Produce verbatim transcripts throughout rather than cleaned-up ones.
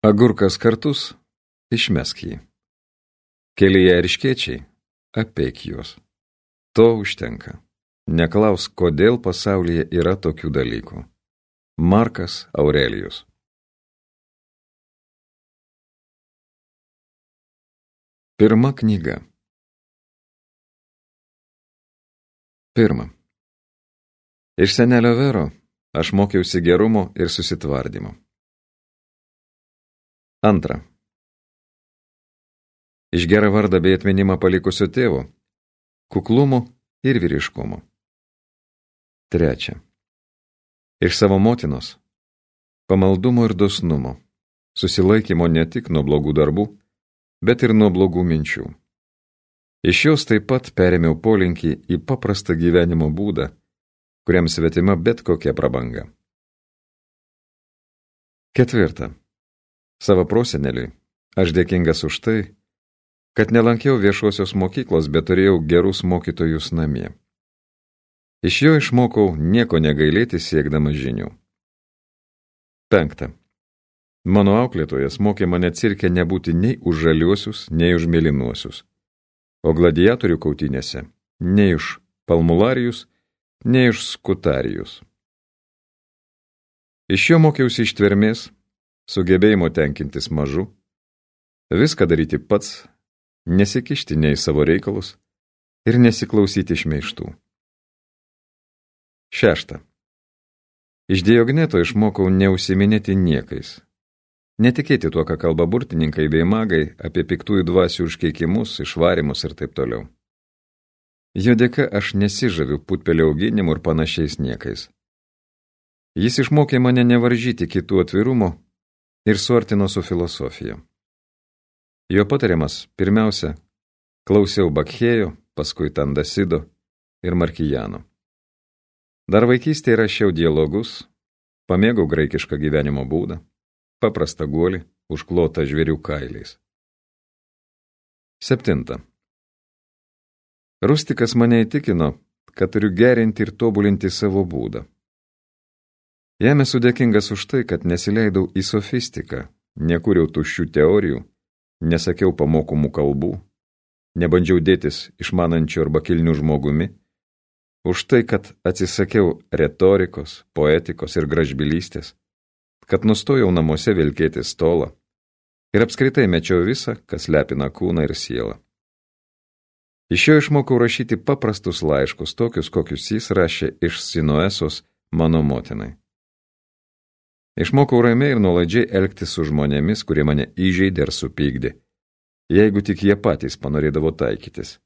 Agurkas kartus, išmesk jį. Kelyje erškėčiai, apeik juos. To užtenka. Neklausk, kodėl pasaulyje yra tokių dalykų. Markas Aurelijus. Pirma knyga. Pirma. Iš senelio Vero aš mokiausi gerumo ir susitvardymo. Antra. Iš gerą vardą bei atminimą palikusio tėvo, kuklumo ir vyriškumo. Trečia. Iš savo motinos, pamaldumo ir dosnumo, susilaikymo ne tik nuo blogų darbų, bet ir nuo blogų minčių. Iš jos taip pat perėmiau polinkį į paprastą gyvenimo būdą, kuriam svetima bet kokia prabanga. Ketvirta. Savo proseneliui aš dėkingas už tai, kad nelankiau viešosios mokyklos, bet turėjau gerus mokytojus namie. Iš jo išmokau nieko negailėti siekdamas žinių. Penkta. Mano auklėtojas mokė mane cirke nebūti nei už žaliuosius, nei už mėlynuosius, o gladiatorių kautynėse nei už palmularijus, nei už skutarijus. Iš jo mokiausi ištvermės, sugebėjimo tenkintis mažu, viską daryti pats, nesikišti nei savo reikalus ir nesiklausyti šmeižtų. Šešta. Iš Diogneto išmokau neužsiminėti niekais, netikėti tuo, ką kalba burtininkai bei magai apie piktųjų dvasių užkeikimus, išvarimus ir taip toliau. Jo dėka aš nesižaviu putpelio auginimu ir panašiais niekais. Jis išmokė mane nevaržyti kitų atvirumo ir suartino su filosofija. Jo patariamas pirmiausia, klausiau Bakhėjo, paskui Tandasido ir Markijano. Dar vaikystėje rašiau dialogus, pamėgau graikišką gyvenimo būdą, paprastą guolį, užklotą žvėrių kailiais. Septinta. Rustikas mane įtikino, kad turiu gerinti ir tobulinti savo būdą. Jam esu dėkingas už tai, kad nesileidau į sofistiką, nekūriau tuščių teorijų, nesakiau pamokomų kalbų, nebandžiau dėtis išmanančiu arba kilniu žmogumi, už tai, kad atsisakiau retorikos, poetikos ir gražbylystės, kad nustojau namuose vilkėti stolą ir apskritai mečiau visą, kas lepina kūną ir sielą. Iš jo išmokau rašyti paprastus laiškus, tokius, kokius jis rašė iš Sinuesos mano motinai. Išmokau ramiai ir nuolaidžiai elgtis su žmonėmis, kurie mane įžeidė ar supykdė, jeigu tik jie patys panorėdavo taikytis.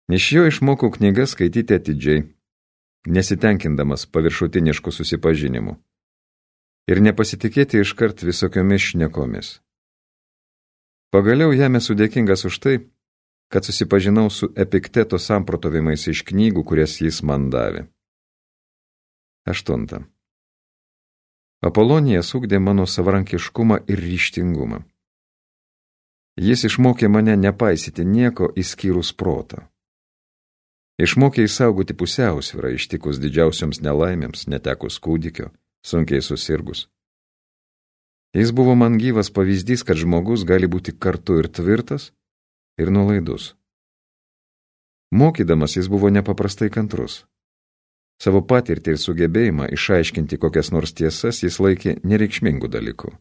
Iš jo išmokau knygas skaityti atidžiai, nesitenkindamas paviršutiniškų susipažinimų ir nepasitikėti iškart visokiomis šnekomis. Pagaliau jam esu dėkingas už tai, kad susipažinau su Epikteto samprotavimais iš knygų, kurias jis man davė. Aštunta. Apolonijas ugdė mano savarankiškumą ir ryžtingumą. Jis išmokė mane nepaisyti nieko išskyrus protą. Išmokė įsaugoti pusiausvyrą ištikus didžiausioms nelaimėms, netekus kūdikio, sunkiai susirgus. Jis buvo man gyvas pavyzdys, kad žmogus gali būti kartu ir tvirtas, ir nuolaidus. Mokydamas jis buvo nepaprastai kantrus. Savo patirtį ir sugebėjimą išaiškinti kokias nors tiesas jis laikė nereikšmingų dalykų.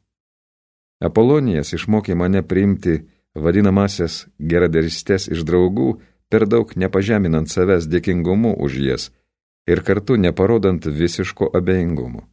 Apolonijas išmokė mane priimti vadinamasias geradarystes iš draugų, per daug nepažeminant savęs dėkingumu už jas ir kartu neparodant visiško abejingumo.